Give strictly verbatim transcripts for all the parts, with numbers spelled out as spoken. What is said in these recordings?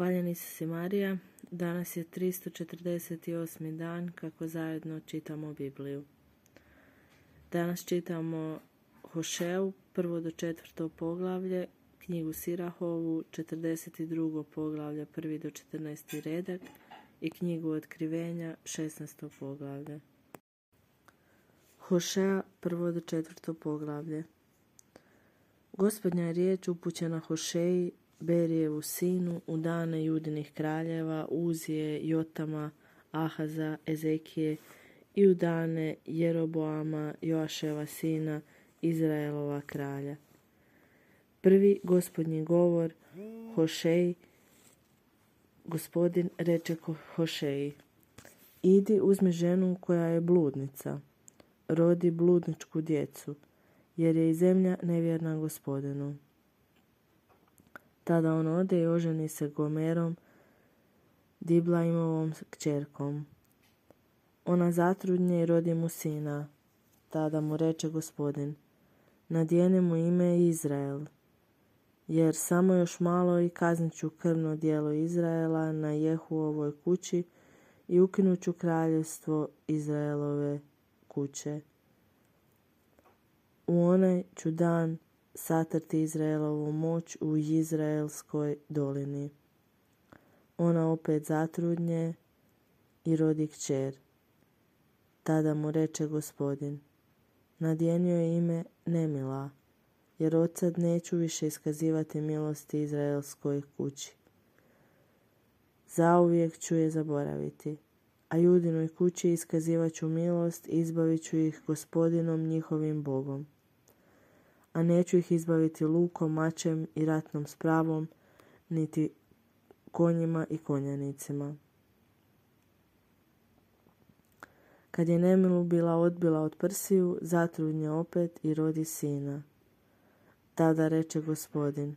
Hvaljeni si Marija, danas je tristo četrdeset osmi dan kako zajedno čitamo Bibliju. Danas čitamo Hošeju, prvo do četvrto poglavlje, knjigu Sirahovu, četrdeset drugo poglavlje, prvi do četrnaesti redak i knjigu Otkrivenja, šesnaesto poglavlje. Hošeja, prvo do četvrto poglavlje. Gospodnja je riječ upućena Hošeji, Berijevu sinu, u dane Judinih kraljeva, Uzije, Jotama, Ahaza, Ezekije i u dane Jeroboama, Joaševa sina, Izraelova kralja. Prvi gospodnji govor Hošeji. Gospodin reče Hošeji: idi uzmi ženu koja je bludnica, rodi bludničku djecu, jer je i zemlja nevjerna Gospodinu. Tada on ode i oženi se Gomerom, Diblajimovom kćerkom. Ona zatrudnje i rodi mu sina. Tada mu reče Gospodin: nadijeni mu ime Izrael, jer samo još malo i kaznit ću krvno djelo Izraela na Jehuovoj kući i ukinut ću kraljevstvo Izraelove kuće. U onaj ću dan satrti Izraelovu moć u Izraelskoj dolini. Ona opet zatrudnje i rodi kćer. Tada mu reče Gospodin: nadjenio je ime Nemila, jer odsad neću više iskazivati milosti Izraelskoj kući. Zauvijek ću je zaboraviti, a Judinoj kući iskazivat ću milost i izbavit ću ih Gospodinom njihovim Bogom. A neću ih izbaviti lukom, mačem i ratnom spravom, niti konjima i konjanicima. Kad je Nemilu bila odbila od prsiju, zatrudnje opet i rodi sina. Tada reče Gospodin: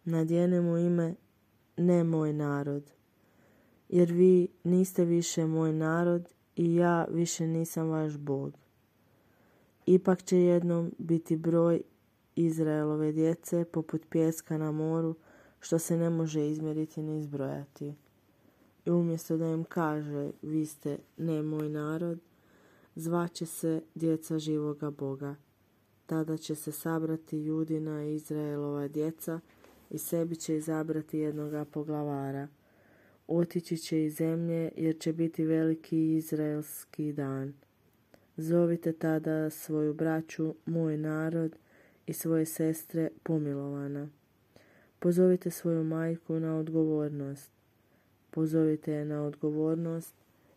nadjeni mu ime ne moj narod, jer vi niste više moj narod i ja više nisam vaš Bog. Ipak će jednom biti broj Izraelove djece poput pijeska na moru, što se ne može izmjeriti ni izbrojati. I umjesto da im kaže: vi ste ne moj narod, zvaće se djeca živoga Boga. Tada će se sabrati Judina i Izraelova djeca i sebi će izabrati jednoga poglavara. Otići će iz zemlje, jer će biti veliki izraelski dan. Zovite tada svoju braću moj narod i svoje sestre pomilovana. Pozovite svoju majku na odgovornost. Pozovite je na odgovornost,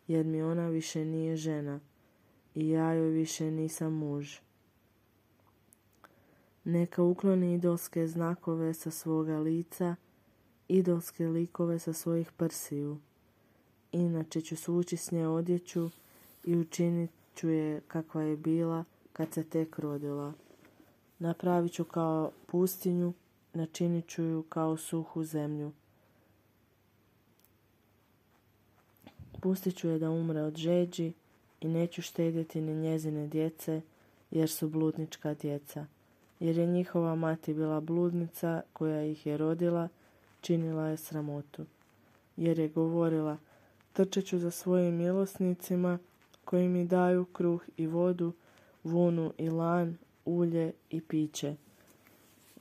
jer mi ona više nije žena i ja joj više nisam muž. Neka ukloni idolske znakove sa svoga lica, idolske likove sa svojih prsiju. Inače ću svući s nje odjeću i učinit ću je kakva je bila kad se tek rodila. Napravit ću kao pustinju, načinit ću ju kao suhu zemlju. Pustit ću je da umre od žeđi i neću štedjeti ni njezine djece, jer su bludnička djeca. Jer je njihova mati bila bludnica koja ih je rodila, činila je sramotu. Jer je govorila: trčat ću za svojim milosnicima koji mi daju kruh i vodu, vunu i lan, ulje i piće.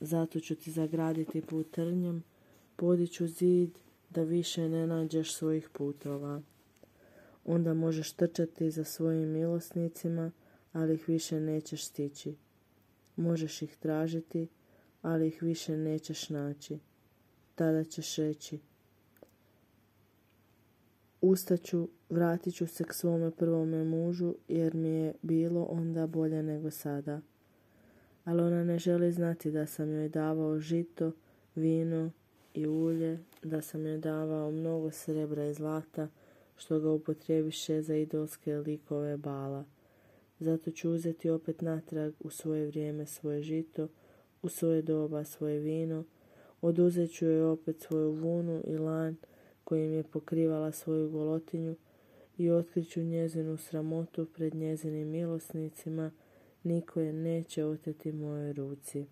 Zato ću ti zagraditi put trnjem, podiću zid da više ne nađeš svojih putova. Onda možeš trčati za svojim milosnicima, ali ih više nećeš stići. Možeš ih tražiti, ali ih više nećeš naći. Tada ćeš reći: ustaću, vratit ću se k svome prvome mužu, jer mi je bilo onda bolje nego sada. Ali ona ne želi znati da sam joj davao žito, vino i ulje, da sam joj davao mnogo srebra i zlata, što ga upotrebiše za idolske likove Bala. Zato ću uzeti opet natrag u svoje vrijeme svoje žito, u svoje doba svoje vino, oduzet ću joj opet svoju vunu i lan kojim je pokrivala svoju golotinju i otkriću njezinu sramotu pred njezinim milosnicima, niko je neće oteti mojoj ruci.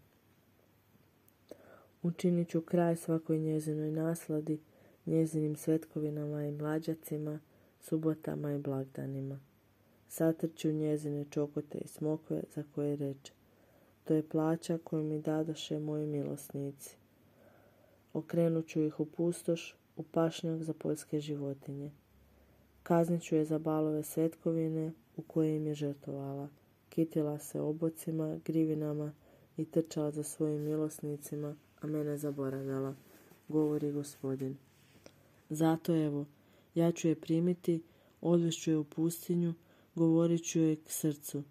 Učinit ću kraj svakoj njezinoj nasladi, njezinim svetkovinama i mlađacima, subotama i blagdanima. Satrću njezine čokote i smokve za koje reče: to je plaća koju mi dadoše moji milosnici. Okrenut ću ih u pustoš, u pašnjak za poljske životinje. Kaznit ću je za balove svetkovine u koje im je žrtvovala. Kitila se obocima, grivinama i trčala za svojim milosnicima, a mene zaboravljala, govori Gospodin. Zato evo, ja ću je primiti, odvešću je u pustinju, govorit ću joj k srcu.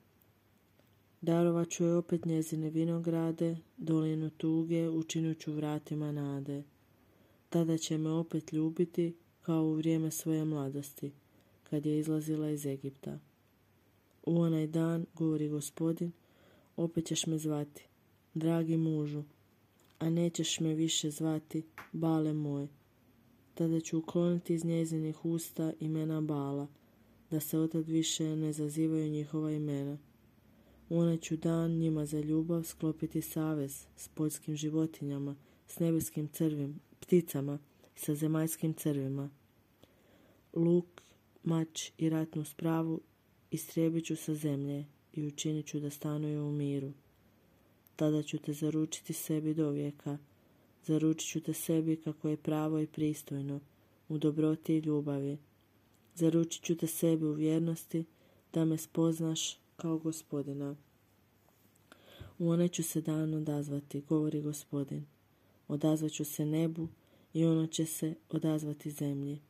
Darovat ću joj opet njezine vinograde, dolinu tuge učinit ću vratima nade. Tada će me opet ljubiti kao u vrijeme svoje mladosti, kad je izlazila iz Egipta. U onaj dan, govori Gospodin, opet ćeš me zvati, dragi mužu, a nećeš me više zvati, bale moj. Tada ću ukloniti iz njezinih usta imena Bala, da se otad više ne zazivaju njihova imena. U onaj ću dan njima za ljubav sklopiti savez s poljskim životinjama, s nebeskim crvim, pticama i sa zemaljskim crvima. Luk, mač i ratnu spravu istrijebit ću sa zemlje i učinit ću da stanuju u miru. Tada ću te zaručiti sebi do vijeka, zaručit ću te sebi kako je pravo i pristojno, u dobroti i ljubavi. Zaručit ću te sebi u vjernosti, da me spoznaš kao Gospodina. U onaj ću se dan odazvati, govori Gospodin. Odazvat ću se nebu i ono će se odazvati zemlji.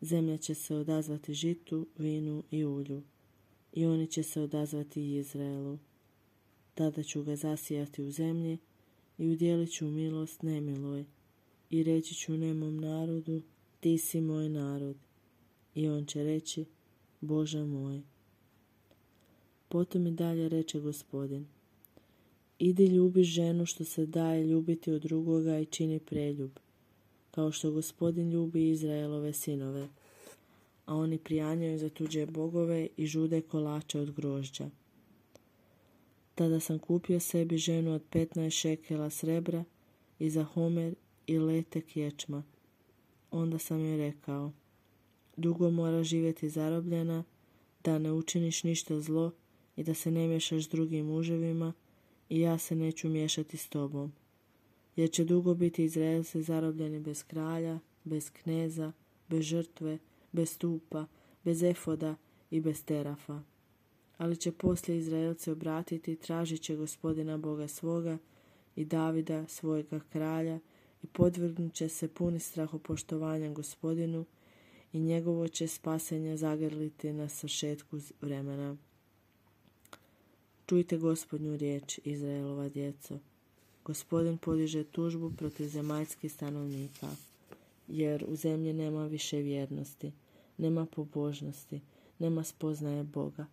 Zemlja će se odazvati žitu, vinu i ulju. I oni će se odazvati Izraelu. Tada ću ga zasijati u zemlji i udjelit ću milost nemiloj. I reći ću nemom narodu, ti si moj narod. I on će reći, Bože moj. Potom i dalje reče Gospodin: idi ljubi ženu što se daje ljubiti od drugoga i čini preljub, kao što Gospodin ljubi Izraelove sinove, a oni prijanjaju za tuđe bogove i žude kolače od grožđa. Tada sam kupio sebi ženu od petnaest šekela srebra i za homer i letek ječma. Onda sam joj rekao: dugo mora živjeti zarobljena, da ne učiniš ništa zlo i da se ne miješaš s drugim muževima, i ja se neću miješati s tobom. Jer će dugo biti Izraelci zarobljeni bez kralja, bez kneza, bez žrtve, bez stupa, bez efoda i bez terafa. Ali će poslije Izraelci obratiti, tražit će Gospodina Boga svoga i Davida svojega kralja i podvrgnut će se puni strahopoštovanja Gospodinu i njegovo će spasenje zagrliti na svršetku vremena. Čujte Gospodnju riječ, Izraelova djeco. Gospodin podiže tužbu protiv zemaljskih stanovnika, jer u zemlji nema više vjernosti, nema pobožnosti, nema spoznaje Boga.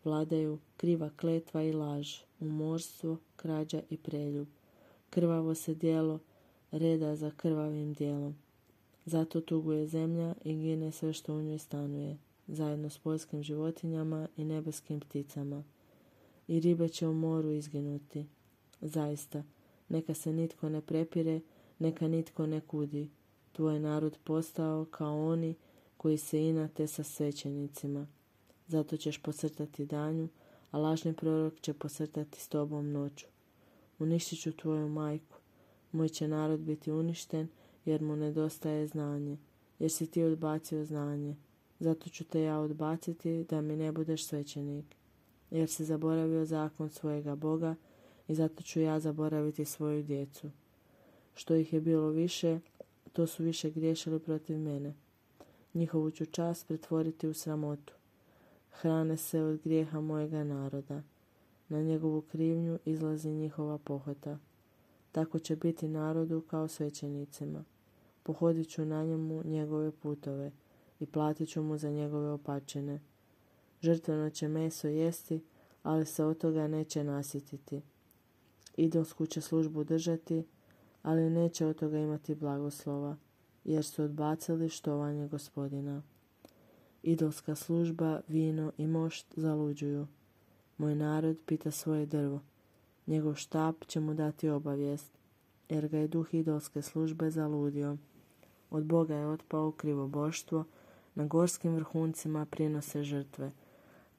Vladaju kriva kletva i laž, umorstvo, krađa i preljub. Krvavo se djelo reda za krvavim djelom. Zato tuguje zemlja i gine sve što u njoj stanuje, zajedno s poljskim životinjama i nebeskim pticama. I ribe će u moru izginuti. Zaista, neka se nitko ne prepire, neka nitko ne kudi. Tvoj narod postao kao oni koji se inate sa svećenicima. Zato ćeš posrtati danju, a lažni prorok će posrtati s tobom noću. Uništit ću tvoju majku. Moj će narod biti uništen, jer mu nedostaje znanje, jer si ti odbacio znanje. Zato ću te ja odbaciti, da mi ne budeš svećenik. Jer si zaboravio zakon svojega Boga, i zato ću ja zaboraviti svoju djecu. Što ih je bilo više, to su više griješili protiv mene. Njihovu ću čast pretvoriti u sramotu. Hrane se od grijeha mojega naroda. Na njegovu krivnju izlazi njihova pohota. Tako će biti narodu kao svećenicima. Pohodit ću na njemu njegove putove i platit ću mu za njegove opačine. Žrtveno će meso jesti, ali se od toga neće nasititi. Idolsku će službu držati, ali neće od toga imati blagoslova, jer su odbacili štovanje Gospodina. Idolska služba, vino i mošt zaluđuju. Moj narod pita svoje drvo. Njegov štap će mu dati obavijest, jer ga je duh idolske službe zaludio. Od Boga je otpao krivoboštvo, na gorskim vrhuncima prinose žrtve,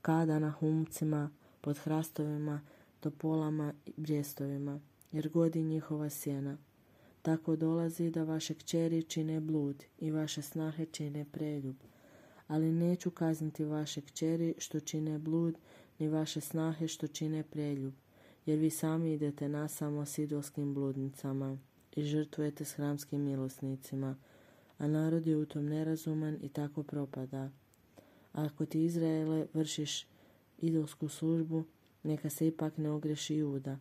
kada na humcima, pod hrastovima, topolama i brjestovima, jer godi njihova sjena. Tako dolazi da vaše kćeri čine blud i vaše snahe čine preljub. Ali neću kazniti vaše kćeri što čine blud, ni vaše snahe što čine preljub, jer vi sami idete nasamo s idolskim bludnicama i žrtvujete s hramskim milosnicima, a narod je u tom nerazuman i tako propada. A ako ti, Izraele, vršiš idolsku službu, neka se ipak ne ogreši Juda.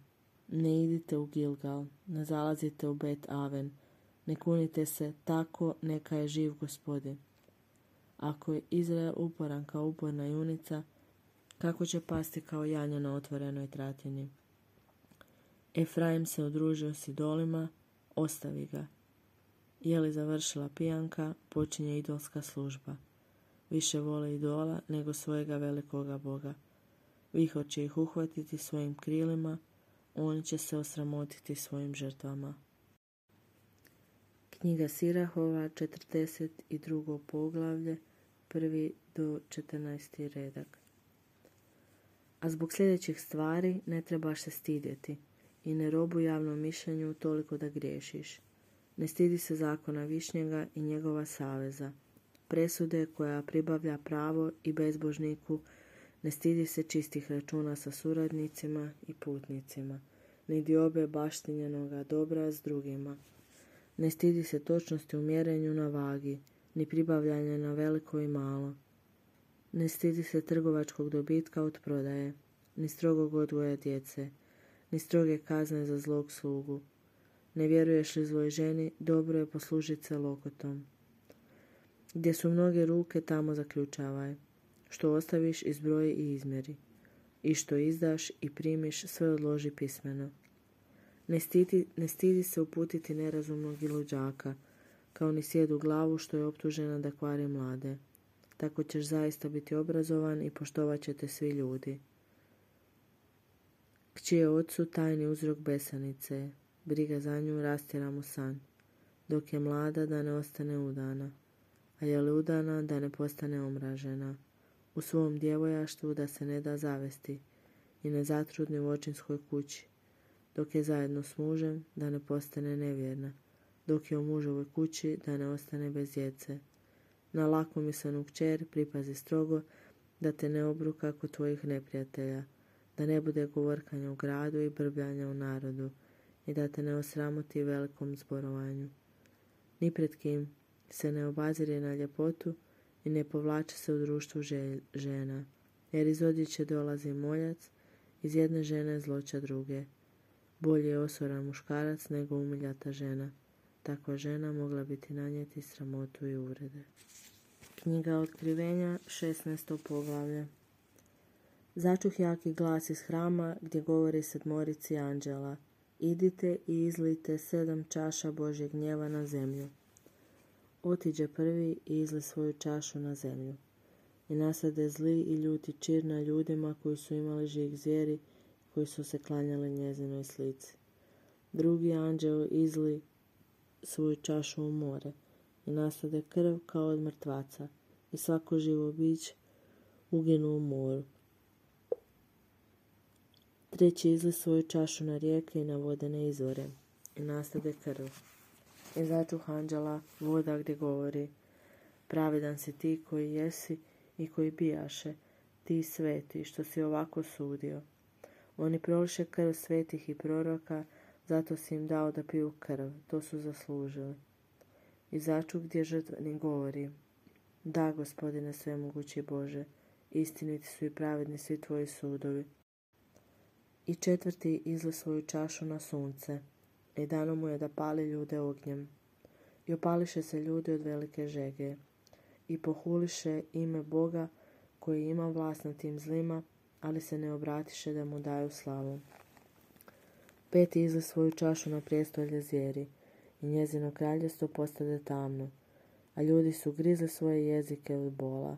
Ne idite u Gilgal, ne zalazite u Bet Aven, ne kunite se, tako neka je živ Gospodin. Ako je Izrael uporan kao uporna junica, kako će pasti kao janja na otvorenoj tratini? Efraim se udružio s idolima, ostavi ga. Je li završila pijanka, počinje idolska služba. Više vole idola nego svojega velikoga Boga. Vihor će ih uhvatiti svojim krilima, oni će se osramotiti svojim žrtvama. Knjiga Sirahova, četrdeset drugo poglavlje, prvi do četrnaesti redak. A zbog sljedećih stvari ne trebaš se stidjeti i ne robuj javnom mišljenju toliko da griješiš. Ne stidi se zakona Višnjega i njegova saveza, presude koja pribavlja pravo i bezbožniku, ne stidi se čistih računa sa suradnicima i putnicima, ni diobe baštinjenoga dobra s drugima. Ne stidi se točnosti u mjerenju na vagi, ni pribavljanja na veliko i malo. Ne stidi se trgovačkog dobitka od prodaje, ni strogog odgoja djece, ni stroge kazne za zlog slugu. Ne vjeruješ li zloj ženi, dobro je poslužiti se lokotom. Gdje su mnoge ruke, tamo zaključavaj. Što ostaviš, izbroji i izmjeri. I što izdaš i primiš, sve odloži pismeno. Ne stidi, ne stidi se uputiti nerazumnog i luđaka, kao ni sjedu glavu što je optužena da kvari mlade. Tako ćeš zaista biti obrazovan i poštovat će te svi ljudi. Kći je ocu tajni uzrok besanice, briga za nju rastjera mu san, dok je mlada da ne ostane udana, a je li udana da ne postane omražena, u svom djevojaštvu da se ne da zavesti i ne zatrudni u očinskoj kući, dok je zajedno s mužem da ne postane nevjerna, dok je u mužovoj kući da ne ostane bez djece. Na lakomislenu kćer pripazi strogo da te ne obruka kod tvojih neprijatelja, da ne bude govorkanja u gradu i brbljanja u narodu i da te ne osramoti velikom zborovanju. Ni pred kim se ne obazire na ljepotu i ne povlači se u društvu žena, jer iz odjeće dolazi moljac, iz jedne žene zloća druge. Bolje je osoran muškarac nego umiljata žena. Takva žena mogla biti nanijeti sramotu i uvrede. Knjiga Otkrivenja, šesnaesto poglavlje. Začuh jaki glas iz hrama gdje govori sedmorici anđela. Idite i izlijte sedam čaša Božjeg gnjeva na zemlju. Otiđe prvi i izli svoju čašu na zemlju. I nasade zli i ljuti čir na ljudima koji su imali žig zvijeri, koji su se klanjali njezinoj slici. Drugi anđeo izli svoju čašu u more i nasade krv kao od mrtvaca i svako živo biće uginu u moru. Treći izli svoju čašu na rijeke i na vodene izvore i nastade krv. I začuh anđela voda gdje govori: pravedan si ti koji jesi i koji bijaše, ti sveti što si ovako sudio. Oni proliše krv svetih i proroka, zato si im dao da piju krv, to su zaslužili. I začuh gdje žrtvenik govori: da, Gospodine svemogući Bože, istiniti su i pravedni svi tvoji sudovi. I četvrti izli svoju čašu na sunce i dano mu je da pali ljude ognjem. I opališe se ljudi od velike žege i pohuliše ime Boga koji ima vlast nad tim zlima, ali se ne obratiše da mu daju slavu. Peti izli svoju čašu na prijestolje zvijeri i njezino kraljevstvo postade tamno, a ljudi su grizli svoje jezike od bola.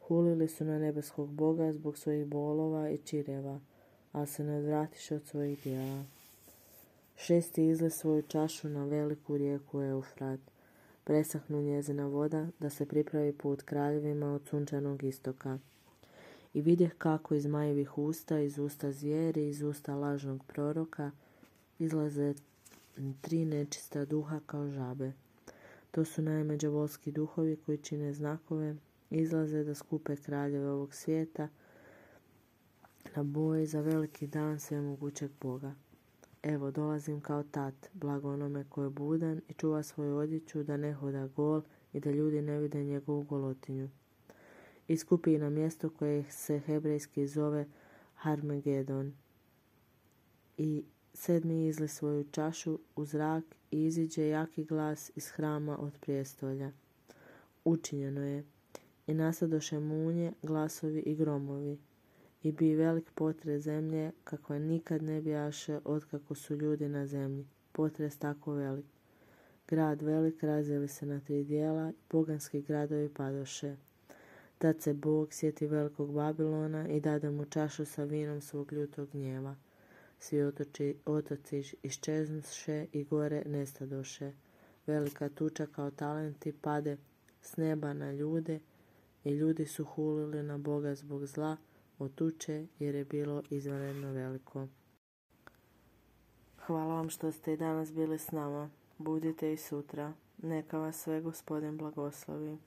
Hulili su na nebeskog Boga zbog svojih bolova i čireva, ali se ne odvratiše od svojih djela. Šesti izli svoju čašu na veliku rijeku Eufrat, presahnu njezina voda, da se pripravi put kraljevima od sunčanog istoka. I vidjeh kako iz zmajevih usta, iz usta zvijeri, iz usta lažnog proroka, izlaze tri nečista duha kao žabe. To su naime đavolski duhovi koji čine znakove, izlaze da skupe kraljeve ovog svijeta na boj za veliki dan svemogućeg Boga. Evo, dolazim kao tat, blago onome ko je budan i čuva svoju odjeću, da ne hoda gol i da ljudi ne vide njegovu golotinju. Iskupi na mjesto koje se hebrejski zove Harmegedon. I sedmi izli svoju čašu u zrak i iziđe jaki glas iz hrama od prijestolja. Učinjeno je. I nasadoše munje, glasovi i gromovi. I bi velik potres zemlje, kakva nikad ne bijaše otkako su ljudi na zemlji. Potres tako velik. Grad velik razdjeli se na tri dijela i poganski gradovi padoše. Tad se Bog sjeti velikog Babilona i dade mu čašu sa vinom svog ljutog gnjeva. Svi otoči, otoci iščeznuše i gore nestadoše. Velika tuča kao talenti pade s neba na ljude i ljudi su hulili na Boga zbog zla od tuče jer je bilo izvanredno veliko. Hvala vam što ste i danas bili s nama. Budite i sutra. Neka vas sve Gospodin blagoslovi.